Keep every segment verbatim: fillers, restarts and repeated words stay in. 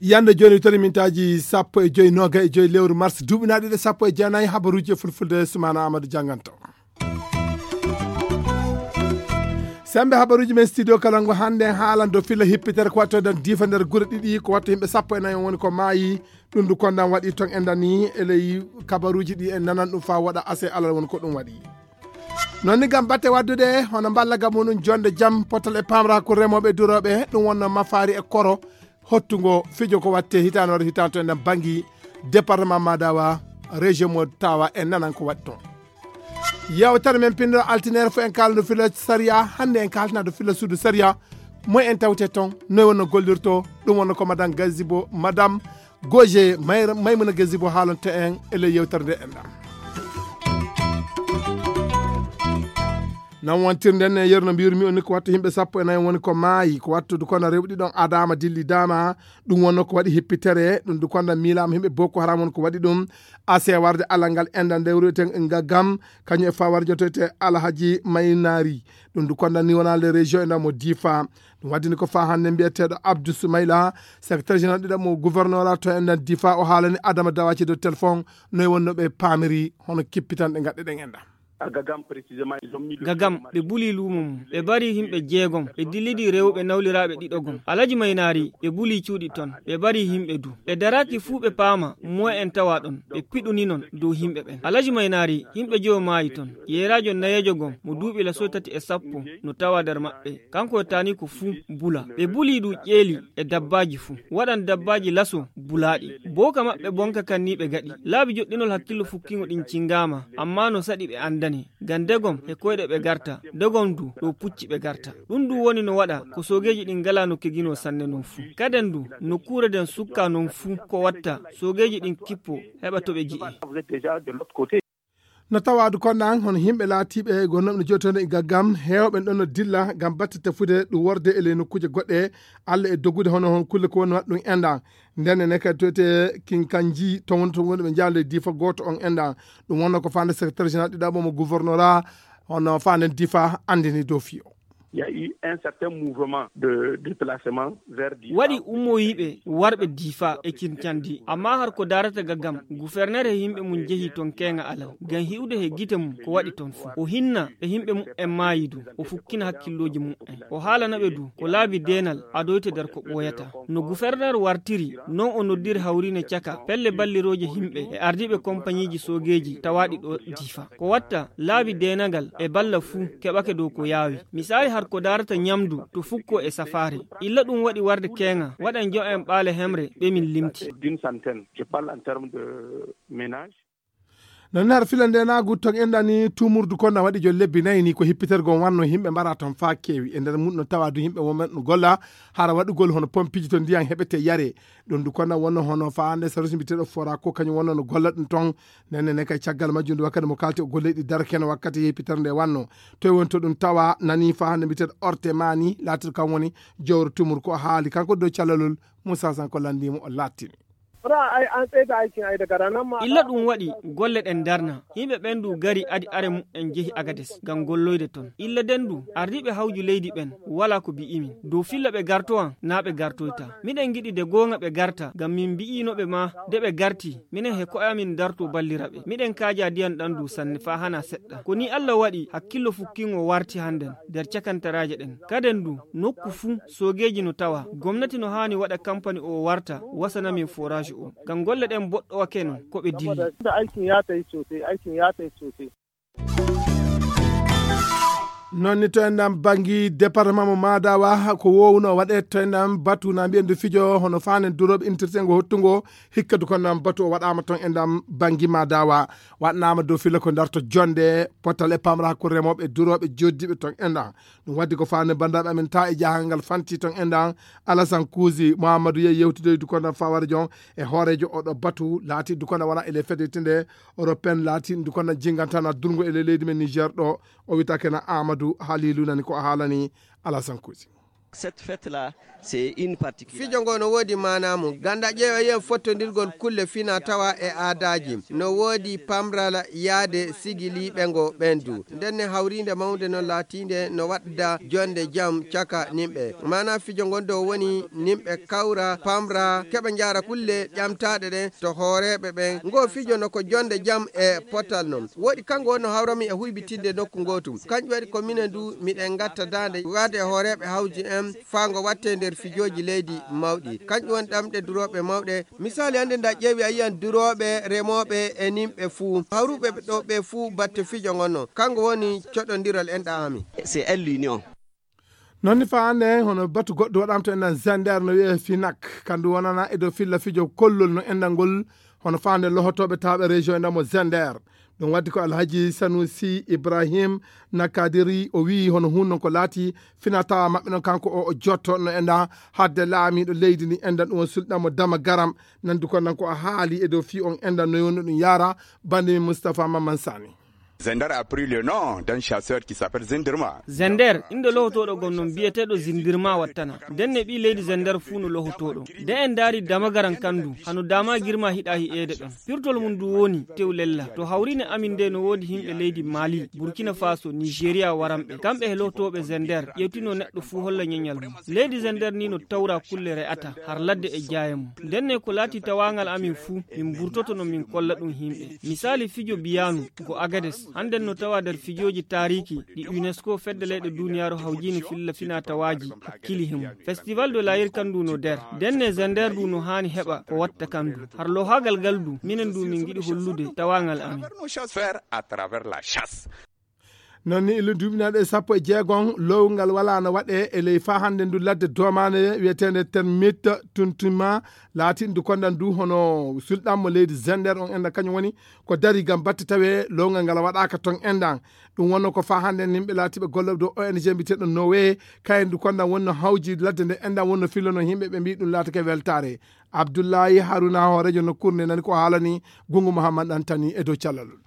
Yande jooni, toni mintaaji sappo e joy, noga e joy lewru mars, duuɓi naaɗi ɗe sappo e jeenayi. Habaruuji e fulfulde, Sumaana Amadou jannganto. Sembe habaruuji men studio kala ngo hannde haalan do filla hippitere ko watto dan difa nder gure ɗiɗi, ko watto yimɓe sappo e nayi woni ko maayi. Ɗum du kondan waɗi ton e ndani e ley kabaruuji ɗi en nanan ɗum fa waɗa ase alal woni ko ɗum waɗi. Non ni gam batte waddude, hono mballa gam muɗum jonde jam, potal e pamra ko remooɓe durooɓe, ɗum wonno mafaari e koro, hottungo fijo ko watte hitande waɗa hitande to en ɗan bangi département Madawa, région mo tawa en nanan ko waɗi ton. Yewtere men pinndoro altinere fo en kalano fila sariya, hannde en kaltana do fila suudu sariya, moy en tawte ton, noy wonno gollirto, ɗum wonno ko madame Gazibo, madame Goje Mayra-, Maymuna Gazibo haalonto en e ley yewtere nde en ɗan. Nan wontirde nden e yeru no mbiyirmi on ni ko wattu yimɓe sappo e nayi woni ko maayi, ko wattude kono rewɓe ɗiɗon adama dillidama. Ɗum wonno ko waɗi hippitere, ɗum du konda miilama yimɓe Boko Haram woni ko waɗi ɗum. Ase warde alal ngal enɗan nde wuro eten Ngagam, kañum e fa warde jotoyte Alhaji Maynari. Ɗum du konda ni wona le région enɗan mo Difa. Ɗum waddini ko fa hannde mbiyeteeɗo Abdou Soumaila, secrétaire général ɗiɗaɓo mo gouverneur to enɗan Difa, o haalani Adama Dawaci dow téléphone noy wonno ɓe paamiri hono kippitanɗe gaɗɗe ɗen enɗan. Gagam, ɓe buli luumo mum, ɓe mbari yimɓe jeegom, ɓe dillidi rewɓe nawliraaɓe ɗiɗo gom. Alaji Maynaari, ɓe buli cuuɗi ton, ɓe mbari yimɓe du. Ɓe daraaki fuu ɓe paama moye en tawa ɗon, ɓe piɗuni non dow yimɓe ɓen. Alaji Maynaari, yimɓe jowo maayi ton. Yeeraajo nayeejo gom, mo duuɓi laso tati e sappo, no tawa nder maɓɓe. Kanko e taani ko fuu bula. Ɓe buli du ƴeeli e dabbaaji fuu. Waɗan dabbaaji laso bulaaɗi. Booka maɓɓe bonka kan ni ɓe gaɗi. Laabi joɗɗinol hakkillo fukkiŋo ɗin cingaama, ammaa no saɗi ɓe andane. Ngam degom e koyɗe ɓe garta, degom du ɗo pucci ɓe garta. Ɗum du woni no waɗa ko soogeeji ɗin ngalaa no keginoo sanne non fuu. Kaden du, nokkuure den sukkaa non fuu ko watta soogeeji ɗin kippo heɓa to ɓe ji'e. No tawaadu kon ɗan, hono yimɓe laatiiɓe gonnooɓe no jootonde e gaggam, heewɓe ɗon no dilla ngam batte tefude ɗum worde e ley nokkuuje goɗɗe, alla e dogude hono hon kulle ko woni waɗa ɗum enɗan. Nden ene kadi toyte kinkanji, ton woni ton woni ɓe njaale diifa gooto on enɗan. Ɗum wonno ko faande secrétaire général ɗiɗaɓo mo gouvernorat, hono faande diifa anndini dow fiyo. Il y a eu un certain mouvement de déplacement vers Difa. Waɗi ummoyiiɓe warɓe diifa e kincandi, amma har ko daarata ga gam, gufernere e yimɓe mum jehi ton keeŋa alal, gam hi'ude he gite mum ko waɗi ton fuu. O hinna e yimɓe mum en maayi du, o fukkina hakkillooji mum en. O haalana ɓe du ko laabi deenal adoyte nder ko ɓooyata. No guferner wartiri, non o noddiri hawriine caka pelle ballirooje yimɓe e ardiiɓe kompaniiji soogeeji tawaaɗi ɗo diifa. Ko watta laabi deenagal e balla fuu keɓake dow ko yaawi. Misaali har ko daarata ɲamdu to fukko e safaare. Illa ɗum waɗi warde keeŋa, waɗan jo'en ɓaale hemre ɓe min limti. D'une centaine, je parle en termes de ménage. Non nar fila nde na gutton enɗani tumurdu kon na waɗi jo lebbi nayi ni ko hippitergo wanno yimɓe mbara ton fa keewi. E nder mum no tawa du yimɓe wonɓe no golla hara waɗugol hono pompiji to ndiyan heɓete yare. Ɗum du konna wonno hono faande sarusi mbiteɗo fora ko kañum wonno no golla ɗum ton. Nenne ne kay caggal majjum du wakkati mo kalti o golleɗi darkeno wakkati yehpitere nde wanno. Toy woni to ɗum tawa nani faande mbiteɗo orte mani laatiɗo kam woni jowro tumur ko haali kanko dow calalol. Moussa Sanko landimo o lattini. Illa ɗum waɗi golle ɗen darna. Yimɓe ɓen du gari adi are mu'en jehi Agades ngam golloyde ton. Illa den du ardiiɓe hawju leydi ɓen wala ko bi'imin. Dow filla ɓe gartowan na ɓe gartoyta. Miɗen giɗi de goonga ɓe garta ngam min bi'inoɓe ma de ɓe garti. Minen he ko'e amin darto ballira ɓe. Miɗen kaaja diyan ɗan du sanne faa hana seɗɗa. Ko ni Alla waɗi hakkillo fukkiŋo warti handen der cakantaraaje ɗen. Kaden du nokku fu soogeeji no tawa. Gomnati no haani waɗa kampani o warta wasana min forage o. Ngam golle ɗen boɗɗowake no ko ɓe dilli. Non ni to en ɗan bangi département mo Madawa ko wowno waɗe to en ɗan batu na mbiyen du fijo hono faanen durooɓe intirtengo hottungo hikka du kon ɗan batu o waɗama ton en ɗan bangi Madawa waɗnama dow fila ko darto jonde potal e pamra ko remooɓe durooɓe joddiɓe ton en ɗan. Ɗum waddi ko faande banndiraaɓe amen ta e jahangal fanti ton enɗan Alasan Kuusi Muhammadu yehi yewtude dukonda fawara jon e hooreejo oɗo batu laati dukonda wona ele fedete nde européen laati dukonda jingantana durgo ele leydi men Niger ɗo o witake na Amadou Halilu nani ko haalani Alasan Kuusi. Cette fête-là, c'est une particularité. Fijo ngo no woodi maanaa mum. Ganda ƴeewa yiya fottondirgol kulle fina tawa e aadaaji. No woodi pamral yaade sigiliiɓe ngo ɓendu. Ndenne hawriinde mawnde no laatiinde no waɗda jonde jam caka nimɓe. Maanaa fijo ngon ɗo woni nimɓe kawra, pamra, keɓa njaara kulle ƴamtaaɗe ɗen to hooreeɓe ɓen. Ngo fijo no ko jonde jam e potal non. Woɗi kanko wonno hawrami e huybitinde nokku ngootu. Kanƴum waɗi ko minen du miɗen ngatta daande waade e hooreeɓe hawji en faa ngo watte nder fijooji leydi mawɗi. Kanƴum woni ɗamɗe durooɓe mawɗe. Misaali hannde nda ƴeewi a yiyan durooɓe, remooɓe e nimɓe fuu. Hawruɓe ɗo ɓe fuu batte fijo ngon non. Kanko woni coɗondiral enɗa ami. C'est elle l'union. Noon ni faa hannde hono batu goɗɗo waɗama to enɗan Zender no wiyee Finak. Kandu wonana e dow filla fijo kollol no enɗan ngol hono faande lohotooɓe tawɓe région enɗan mo Zender. Ɗum waddi ko Alhaji Sanusi Ibrahim Nakadiri o wiyi hono hun non ko laati fina tawa maɓɓe non kanko o o jotto no enɗan hadde laamiiɗo leydi ndi enɗan ɗum o sulɗan mo dama garam. Nandu ko nan ko a haali e dow fii on enɗan no yowno ɗum yaara bande min Moustapha Mamman Sani. Zender a pris le nom d'un chasseur qui s'appelle Zindirma. Zender, innde lohotooɗo gon non biyeteeɗo Zindirma wattana. Ndenne ɓii leydi Zender fuu no lohotooɗo. Nde en ndaari damagaran kandu, hano dama girma hiɗa hi'eede ɗon. Pirtol mum du woni tew lella. To hawriine amin nde no woodi himɓe leydi Mali, Burkina Faso, Nigeria waranɓe. Kamɓe he lohotooɓe Zender, ƴewtino neɗɗo fuu holla ñeñal mum. Leydi Zender ni no tawra kulle re'ata, har ladde e jaaye mum. Ndenne ko laati tawaangal amin fuu, min burtoto no min kolla ɗum himɓe. Misaali fijo biyanu, ko Agades. Hannden no tawa nder fijooji taariiki ɗi UNESCO fedde leyɗe duuniyaaru hawjiini filla fina tawaaji hakkili he mum. Festival de la Yirkan ndu no nder. Ndenne Zender ndu no haani heɓa ko watta kan ndu. Har lohaagal ngal ndu, minen ndu min ngiɗi hollude tawaangal amin. Nos chasseurs à travers la chasse. Noon ni illu duuɓinaaɗo e sappo e jeegom lowgal walaa no waɗee e ley faa hannde ndu ladde doomaande wiyeteende termite tuntuma laatiiɗo ndu kondan ndu hono sulɗan mo leydi Zender on enda kañum woni ko dari ngam batte tawee lowgal ngal waɗaaka ton endan. Ɗum wonno ko faa hannde yimɓe laatiiɓe gollooɓe dow O N G mbiyeteeɗo Nowe kayen ndu kondan wonno hawji ladde nde endan wonno fillono yimɓe ɓe mbii ɗum laatake weltaare. Abdullahi Haruna hooreejo nokkuure nde nani ko haalani Gungu Muhammad Antani e dow callalol.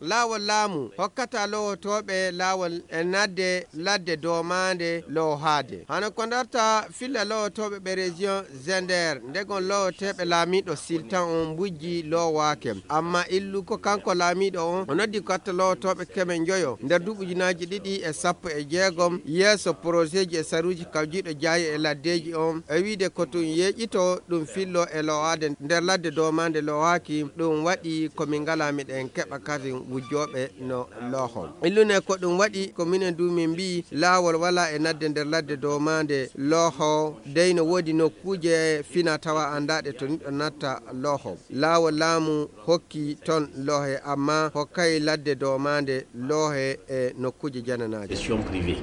Laawol laamu hokkata lowotooɓe laawol e nadde ladde doomaande loohaade. Hano ko darta filla lowotooɓe ɓe région Zender, ndegon lowoteeɓe laamiiɗo Siltan on mbujji loowaake. Amma illu ko kanko laamiiɗo on, o noddi ko atta lowotooɓe keme njoyo nder duuɓi ujunaaji ɗiɗi e sappo e jeegom yeeso poroseeji e saruuji kawjiiɗo jaaye e laddeeji on, e wiide ko tun yeeƴito ɗum fillo e loowaade nder ladde doomaande loowaaki. Ɗum waɗi ko min ngalaa miɗen keɓa kadi wujjooɓe no looho. Illune ko ɗum waɗi ko minen du min mbii laawol walaa e nadde nder ladde doomaande looho. Dey no woodi nokkuuje fina tawa anndaaɗe to niɗɗo natta looho. Laawol laamu hokki ton loohe, amma hokkay ladde doomaande loohe e nokkuuje jananaaje. Question privée.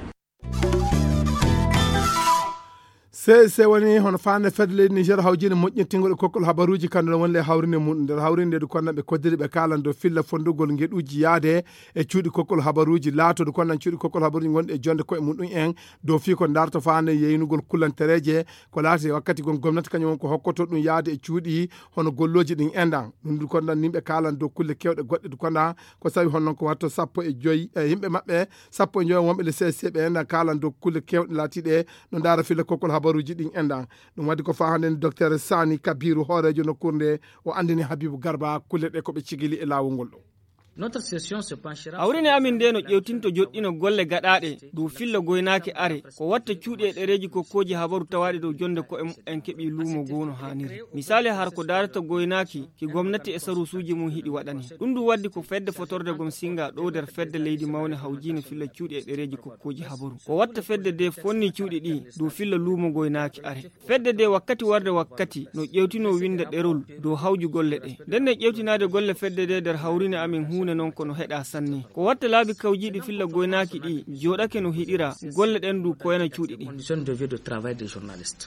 C S C woni hono faande fedde leydi Niger hawjinde moƴƴintingol e kokkol habaruuji, kanndal woni le hawrinde mum. Nder hawrinde ndu konnan ɓe koddiri ɓe kaalan dow filla fondugol ngeɗuuji yaade e cuuɗi kokkol habaruuji, laatoodu konnan cuuɗi kokkol habaruuji ngonɗi e jonde koye mum ɗum en dow fii ko ndarto faande yeynugol kullantereeje ko laati e wakkati gon gomnati kañum won ko hokkoto ɗum yaade e cuuɗi hono gollooji ɗin endan. Ɗum ndu konnan nimɓe kaalan dow kulle kewɗe goɗɗe du konnan ko sawi honnon ko watto sappo e joyi e yimɓe maɓɓe sappo e joyi wonɓe le C S C ɓe enɗan kaalan dow kulle kewɗe laatiiɗe no ndaara filla kokkol habaruuji ɗin enɗan. Ɗum waɗi ko faa hannde ni Docteur Sani Kabiru hooreejo nokkuure nde o anndini Habibu Garba kulle ɗe ko ɓe cigili e laawol ngol ɗo. Hawrine amin nde no ƴewtinto joɗɗino golle gaɗaaɗe dow filla goynaaki are ko watta cuuɗi e ɗereeji kokkooji habaru tawaaɗi dow jonde ko'e mumen keɓi luumo goo no haaniri. Misaali har ko daarata goynaaki ki gomnati e saruusuuji mum hiɗi waɗani. Ɗum ndu waddi ko fedde fotorde gom singa ɗo nder fedde leydi mawne hawjiine filla cuuɗi e ɗereeji kokkooji habaru. Ko watta fedde de fonni cuuɗi ɗi dow filla luumo goynaaki are. Fedde de wakkati warde wakkati no ƴewtino winnda ɗerol dow hawju golle ɗe. Nden ne ƴewtinaade golle fedde de nder hawrine amin huune non ko no heɗa sanne. Ko watta laabi kawjiiɗi filla goynaaki ɗi jooɗake no hiɗira golle ɗen ndu koyana cuuɗi ɗi. Condition de vie de travail des journalistes.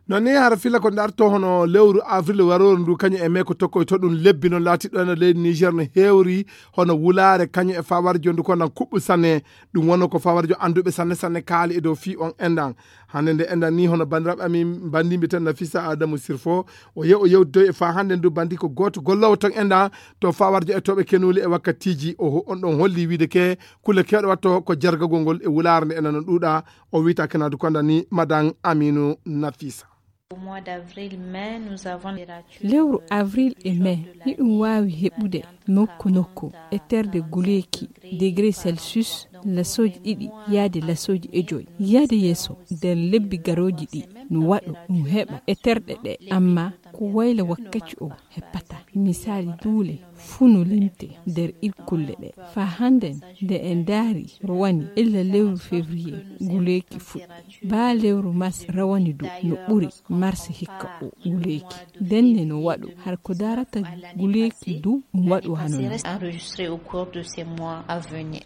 Non ni hara filla ko darto hono lewru avril warooru ndu kañum e mee ko tokkoy to ɗum lebbi noon laatiɗo eno leydi Niger no heewri hono wulaare kañum e fawarjo ndu ko nan kuɓɓu sanne. Ɗum wonno ko fawarjo annduɓe sanne sanne kaali e dow fii on endan. Hannde nde enɗan ni hono banndiraaɓe amin banndimɓe tan Nafisa Adamu Sirfo, o yew-, o yewtidoy e faa hannde ndu banndi ko gooto golloowo toon enɗan to faa warjo e toɓe kenuli e wakkatiiji o ho-, on ɗon holli wiide ke kulle keewɗe watto ko jargagol ngol e wulaare nde enɗan no ɗuuɗa. O wiyta kenadu konda ni Madan Aminu Nafisa. Au mois d'avril, mai, nous avons les ratures Lewru avril e mai, hiɗum waawi heɓude nokku nokku e terde guleeki degré Celsius lasooji ɗiɗi yaade lasooji e joy. Yaade yeeso, nder lebbi garooji ɗi, no waɗu ɗum heɓa e terɗe ɗe, amma ko wayla wakkaci o heɓata. Misaali duule fuu no limte nder ir kulle ɗe. Faa hannden, nde en ndaari rowani illa lewru février, guleeki fuɗɗi. Baa lewru mars rawani du no ɓuri mars hikka o guleeki. Denne no waɗu har ko darata guleeki du ɗum waɗu hano non. Enregistré au cours de ces mois à venir.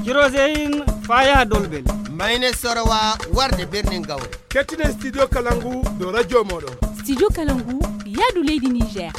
Kiroseyin faya dolbel. Mayne sorowa warde birnin gawre. Kettinen studio kalangu do radio moɗo. Studio kalangu yaadu leydi Niger.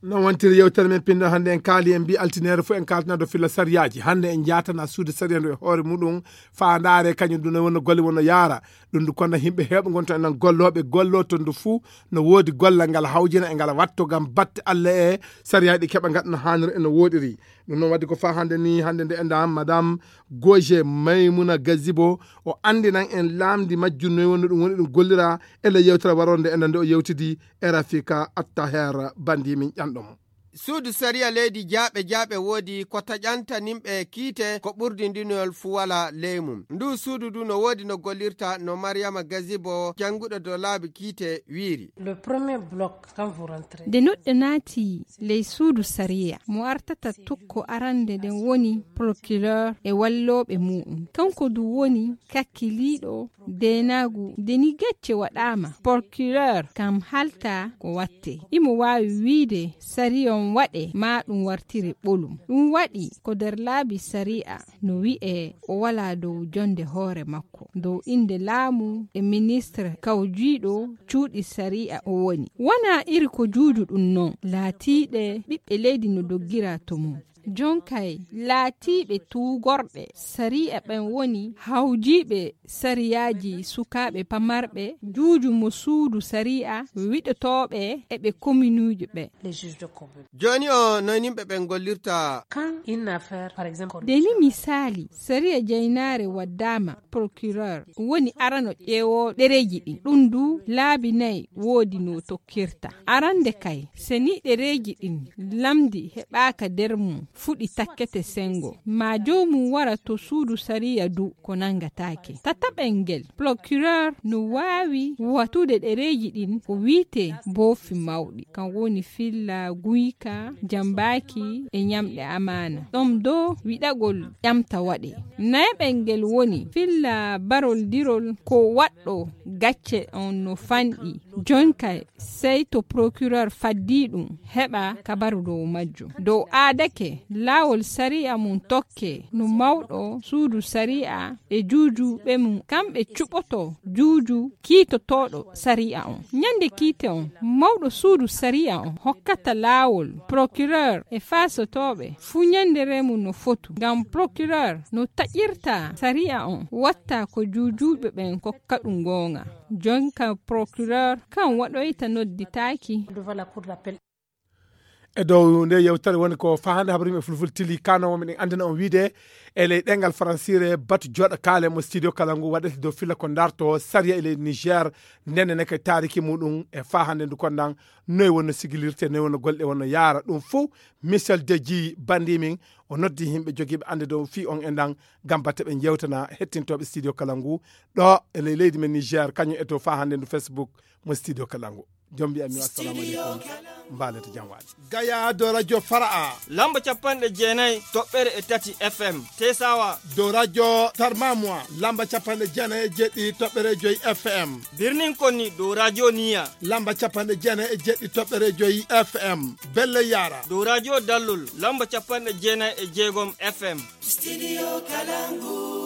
Non wontiri yewtere men pinɗo hannde en kaali en mbi altineere fof en kaltana do filla sariyaaji. Hannde en jaatana suude sariya ndu e hoore muɗum faandaare kañum ɗum ne wonno golle wonno yaara. Ɗum ndu konna yimɓe heewɓe ngonta enen gollooɓe golloto ndu fuu no woodi gollal ngal hawjina e ngal watto ngam batte Allah e sariyaaji ɗi keɓa ngaɗa no haaniri e no wooɗiri. Ɗum noon waɗi ko faa hannde ni, hannde nde enɗan Madame Goje Maymuna Gazibo, o anndinan en laamndi majjum noy wonno ɗum woni ɗum gollira e le yewtere waronde enɗan nde o yewtidi e Rafika Attaher bandi min ƴanɗo mo. Suudu sariya leydi jaaɓe jaaɓe woodi ko taƴanta nimɓe kiite ko ɓurdindinol fuwala ley mum. Ndu suudu ndu no woodi no gollirta no Mariama Gazibo jannguɗo dow laabi kiite wiiri. Le premier bloc, quand vous rentrez. Nde noɗɗo naati ley suudu sariya, mo artata tokko arande nden woni procureur e wallooɓe mu'um. Kanko du woni kakkiliiɗo deenaagu. Nde ni gacce waɗaama, procureur kam halta ko watte. Imo waawi wiide sariya on waɗe maa ɗum wartire ɓolum. Ɗum waɗi ko nder laabi sariya no wi'e o walaa dow jonde hoore makko. Dow innde laamu e ministre kawjiiɗo cuuɗi sariya o woni. Wanaa iri ko juuju ɗum non, laatiiɗe ɓiɓɓe leydi no doggira to mum. Jonkay laatiiɓe tuugorɓe sariya ɓen woni hawjiiɓe sariyaaji sukaaɓe pamarɓe, juuju mo suudu sariya, wiɗotooɓe e ɓe kominuuji ɓe. Les juges de commune. Jooni o noy nimɓe ɓen gollirta? Quand une affaire, par exemple, nde ni misaali, sariya jaynaare waddaama procureur, woni arano ƴeewo ɗereeji ɗin. Ɗum du laabi nayi woodi no tokkirta. Arande kay, se ni ɗereeji ɗin lamndi heɓaaka nder mum, fuɗi takkete sengo. Ma joomum wara to suudu sariya du ko nanngataake. Tataɓel ngel, procureur no waawi wattude ɗereeji ɗin ko wi'etee boofi mawɗi. Kan woni filla guyka, jambaaki e ñamɗe amaana. Ɗon do wiɗagol ƴamta waɗe. Nayaɓel ngel woni filla baroldirol ko waɗɗo gacce on no fanɗi. Jonkay sey to procureur faddii ɗum, heɓa kabaru dow majjum. Dow aadake, laawol sariya mum tokke no mawɗo suudu sariya e juujuɓe mum. Kamɓe cuɓoto juuju kiitotooɗo sariya on. Ñande kiite on, mawɗo suudu sariya on hokkata laawol procureur e faasotooɓe fuu ñande remu no fotu. Ngam procureur no taƴirta sariya on, watta ko juujuɓe ɓen kokka ɗum goonga. Jonka procureur kan waɗoyta nodditaaki. E dow nde yewtere woni ko fahande habaru yimɓe fulfulde tili kano meɗen anndina on wiide e ley ɗengal faransire batu jooɗa kaale mo studio kala ngu waɗete dow filla ko darto sariya e leydi Niger. Ndenne neke taariki muɗum e fahande ndu kondan noy wonno sigilirte, noy wonno golle wonno yaara ɗum fuu. Michel Deji bandi min o noddi yimɓe jogiiɓe annde dow fii on e ndan ngam batte ɓe jewtana hettintoɓe studio kala ngu ɗo e ley leydi men Niger kañum e dow fahande ndu Facebook mo studio kala ngu. Jom mbiya mi assalamu aleykum. Mbaalete jam waali. Gaya dow radio Fara'a. Lamba capanɗe jeenayi toɓɓere e tati F M. Tesawa. Dow radio Tarmamwa. Lamba capanɗe jeenayi e jeeɗiɗi toɓɓere joyi F M. Birnin Konni dow radio Niya. Lamba capanɗe jeenayi e jeeɗiɗi toɓɓere joyi F M. Belle Yara. Dow radio Dallol. Lamba capanɗe jeenayi e jeegom F M. Studio Kalangu.